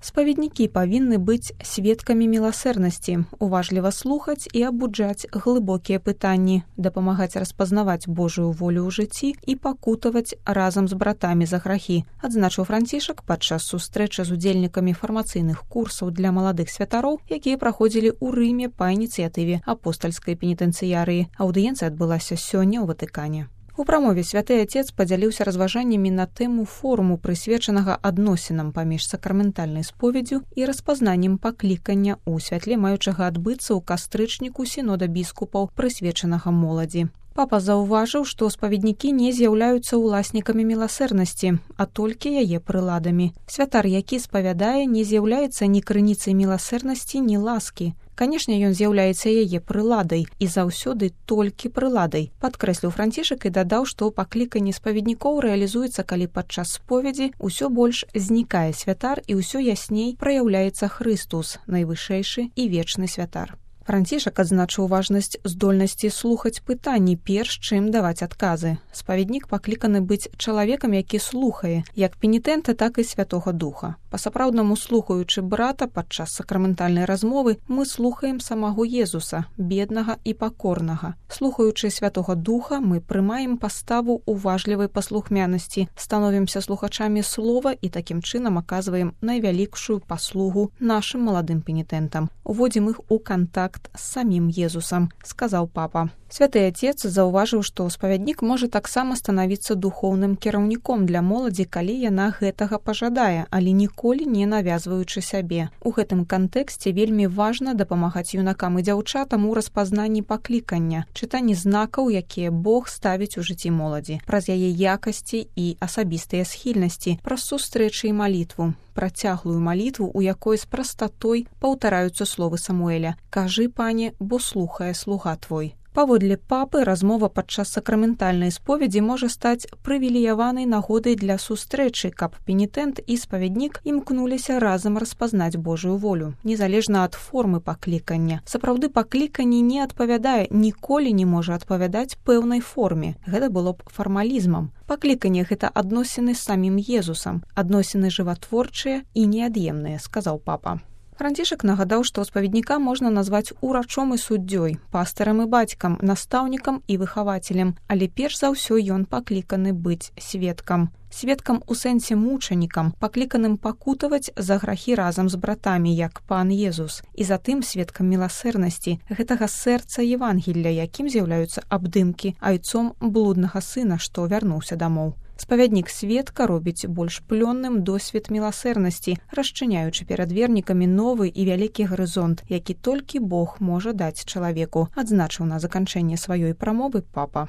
Спаведнікі павінны быць сведкамі міласэрнасці, уважліва слухаць і абуджаць глыбокія пытанні, дапамагаць распазнаваць Божую волю ў жыцці і пакутаваць разам з братамі за грахі, адзначыў Францішак падчас сустрэчы з удзельнікамі фармацыйных курсаў для маладых святароў, якія праходзілі ў Рыме па ініцыятыве апостальскай пенітэнцыярыі. Аўдыенцыя адбылася сёння ў Ватыкане. У прамове святы Отец падзяліўся разважаннямі на тэму форуму, прысвечанага адносінам паміж сакраментальнай споведдзю і распазнаннем паклікання ў святле маючага адбыцца ў кастрычніку сінода біскупаў, прысвечанага моладзі. Папа заўважыў, што спаведнікі не з'яўляюцца ўласнікамі міласэрнасці, а толькі яе прыладамі. Святар, які спавядае, не з'яўляецца ні крыніцай міласэрнасці, ні ласкі. Канешне, ён з'яўляецца яе прыладай і заўсёды толькі прыладай, падкрэсліў Францішак і дадаў, што пакліканне спаведнікоў рэалізуецца, калі падчас споведзі ўсё больш знікае святар і ўсё ясней праяўляецца Хрыстус, найвышэйшы і вечны святар. Францішак адзначыў важнасць здольнасці слухаць пытанні, перш чым даваць адказы. Спаведнік пакліканы быць чалавекам, які слухае, як пенітэнта, так і Святога Духа. Па-сапраўднаму слухаючы брата падчас сакраментальнай размовы, мы слухаем самого Езуса, беднага і пакорнага. Слухаючы Святога Духа, мы прымаем паставу уважлівай паслухмянасці, становімся слухачамі слова і такім чынам аказваем найвялікшую паслугу нашым маладым пенітэнтам. Уводзім іх у кантакт з самім Езусам, сказаў папа. Святы Отец заўважыў, што спавяднік можа таксама станавіцца духоўным кіраўніком для моладзі, калі яна гэтага пажадае, але ніколі не навязваючы сябе. У гэтым кантэксце вельмі важна дапамагаць юнакам і дзяўчатам у распазнанні паклікання, чытанні знакаў, якія Бог ставіць у жыцці моладзі, праз яе якасці і асабістыя схільнасці, праз сустрэчы і малітву, працяглую малітву, у якой з прастатой паўтараюцца словы Самуэля: «Кажы, пане, бо слухае слуга твой». Паводле папы, размова падчас сакраментальнай споведзі можа стаць прывілеяванай нагодай для сустрэчы, каб пенітэнт і спавяднік імкнуліся разам распазнаць Божую волю, незалежна ад формы паклікання. Сапраўды пакліканне не адпавядае, ніколі не можа адпавядаць пэўнай форме. Гэта было б фармалізмам. Пакліканне – гэта адносіны з самім Езусам, адносіны жыватворчыя і неад'емныя, сказаў папа. Францішак нагадаў, што спаведніка можна назваць урачом і суддзёй, пастарам і бацькам, настаўнікам і выхавацелем, але перш за ўсё ён пакліканы быць сведкам. Сведкам у сэнсе мучанікам, пакліканым пакутаваць за грахі разам з братамі, як пан Езус, і затым сведкам міласэрнасці, гэтага сэрца Евангелля, якім з'яўляюцца абдымкі айцом блуднага сына, што вярнуўся дамоў. Спавяднік сведка робіць больш плённым досвед міласэрнасці, расчыняючы перад вернікамі новы і вялікі гарызонт, які толькі Бог можа даць чалавеку, адзначыў на заканчэнне сваёй прамовы папа.